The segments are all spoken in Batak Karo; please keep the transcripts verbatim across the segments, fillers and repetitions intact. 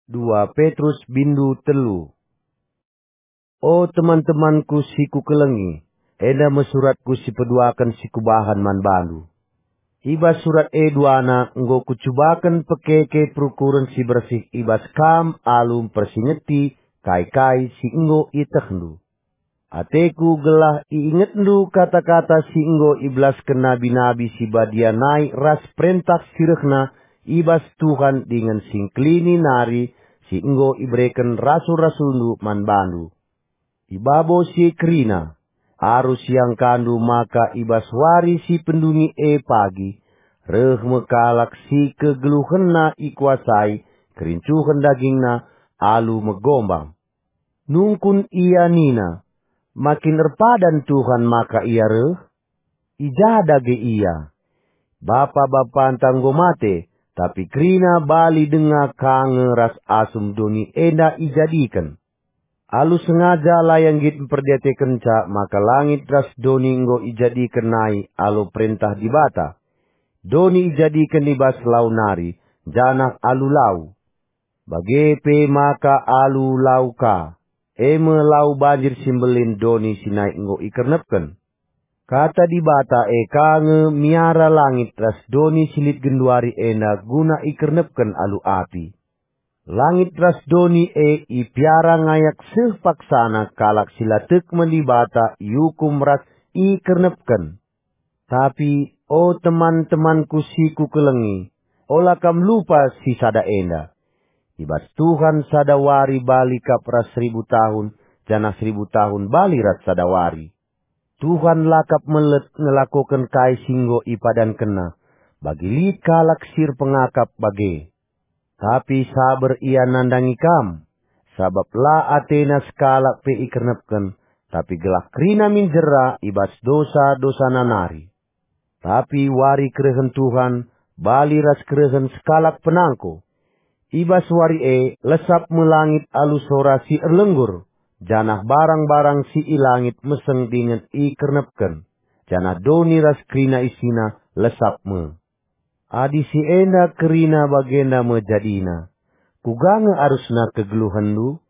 Dua Petrus bindu telu. O teman-temanku si kukelengi, enda me suratku si peduaken si kubahan man bandu. I bas surat e duana enggo kucubaken pekeke perukuren si bersih i bas kam alu mpersingeti kai-kai si enggo ietehndu. Ateku gelah iingetndu kata-kata si enggo ibelasken nabi-nabi si badia nai ras perentah si rehna i bas Tuhan dingen singkelini nari si enggo ibereken rasul-rasulndu man bandu. I babo si kerina, arus iangkandu maka i bas wari si pendungi e pagi, reh me kalak si kegeluhenna ikuasai kerincuhen dagingna alu megombang. Nungkun ia nina, "Makin erpadan Tuhan maka ia reh? I ja dage ia? Bapa-bapanta enggo mate, tapi kerina bali denga ka nge ras asum doni enda ijadiken." Alu sengaja la ia nggit mperdiatekenca maka langit ras doni enggo ijadiken nai alu perentah Dibata. Doni ijadiken i bas lau nari, janah alu lau. Bage pe maka alu lau ka, e me lau banjir si mbelin doni si nai enggo ikernepken. Kata Dibata e ka nge miara langit ras doni si lit genduari enda guna ikernepken alu api. Langit ras doni e ipiara ngayak seh paksana kalak si la tek man Dibata iukum ras ikernepken. Tapi, o teman-temanku si kukelengi, ola kam lupa si sada enda. I bas Tuhan sada wari bali kap ras seribu tahun, janah seribu tahun bali ras sada wari. Tuhan la kap melet ngelakoken kai si enggo ipadankenNa, bagi lit kalak si erpengakap bage. Tapi saber ia nandangi kam, sabap la atena sekalak pe ikernepken, tapi gelah kerina min jera i bas dosa-dosana nari. Tapi wari kerehen Tuhan bali ras kerehen sekalak penangko. I bas wari e lesap me langit alu sora si erlenggur, janah barang-barang si i langit meseng dingen ikernepken, janah doni ras kerina isina lesap me. Adi si enda kerina bagenda me jadina, kuga nge arusna kegeluhenndu?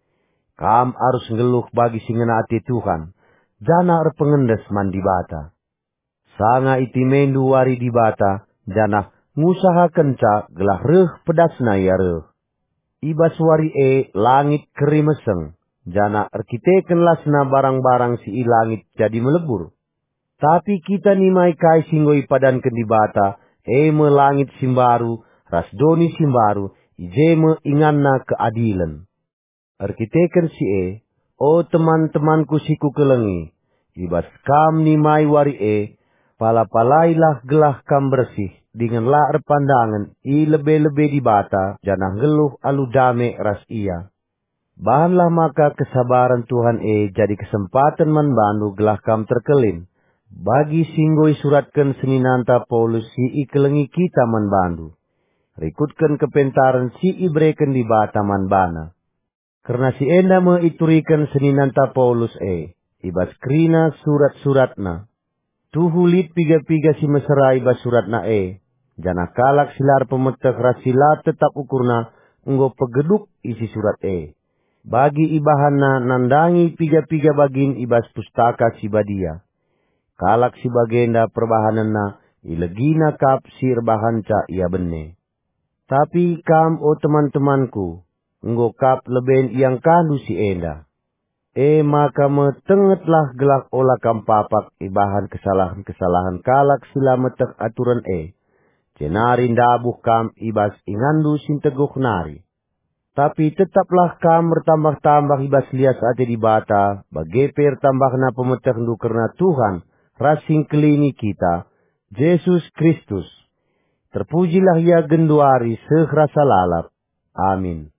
Kam arus nggeluh bagi si ngena ate Tuhan, janah erpengendes man Dibata. Sanga itimendu wari Dibata, janah ngusahakenca gelah reh pedasna ia reh. I bas wari e langit keri meseng, janah erkiteken lasna barang-barang si i langit jadi melebur. Tapi kita nimai kai si enggo ipadanken Dibata, e me langit si mbaru ras doni si mbaru, i je me inganna keadilen. Erkiteken si e, o teman-temanku si kukelengi, i bas kam nimai wari e, pala-palailah gelah kam bersih dingen la erpandangen i lebe-lebe Dibata janah nggeluh alu dame ras Ia. Bahanlah maka kesabaren Tuhan e jadi kesempaten man bandu gelah kam terkelin, bagi si enggo isuratken seninanta Paulus si ikelengi kita man bandu. Rikutken kepentaren si ibereken Dibata man bana. Kerna si enda me ituriken seninanta Paulus e, i bas kerina surat-suratna. Tuhu lit piga-piga si mesera i bas suratna e, janah kalak si la erpemeteh ras si la tetap ukurna enggo pegeduk isi surat e. Bagi ibahanna nandangi piga-piga bagin i bas Pustaka Si Badia. Kalak si bagenda perbahanenna ilegina kap si erbahanca ia bene. Tapi kam, o teman-temanku, enggo kap leben iangkandu si enda. E maka metengetlah gelah ola kam papak ibahan kesalahen-kesalahen kalak si la meteh aturen e, jenari ndabuh kam i bas inganndu si nteguh nari. Tapi tetaplah kam ertambah-tambah i bas lias ate Dibata, bage pe ertambahna pemetehndu kerna Tuhan ras si Engkelini kita, Jesus Kristus. Terpujilah Ia genduari seh rasa lalap. Amin.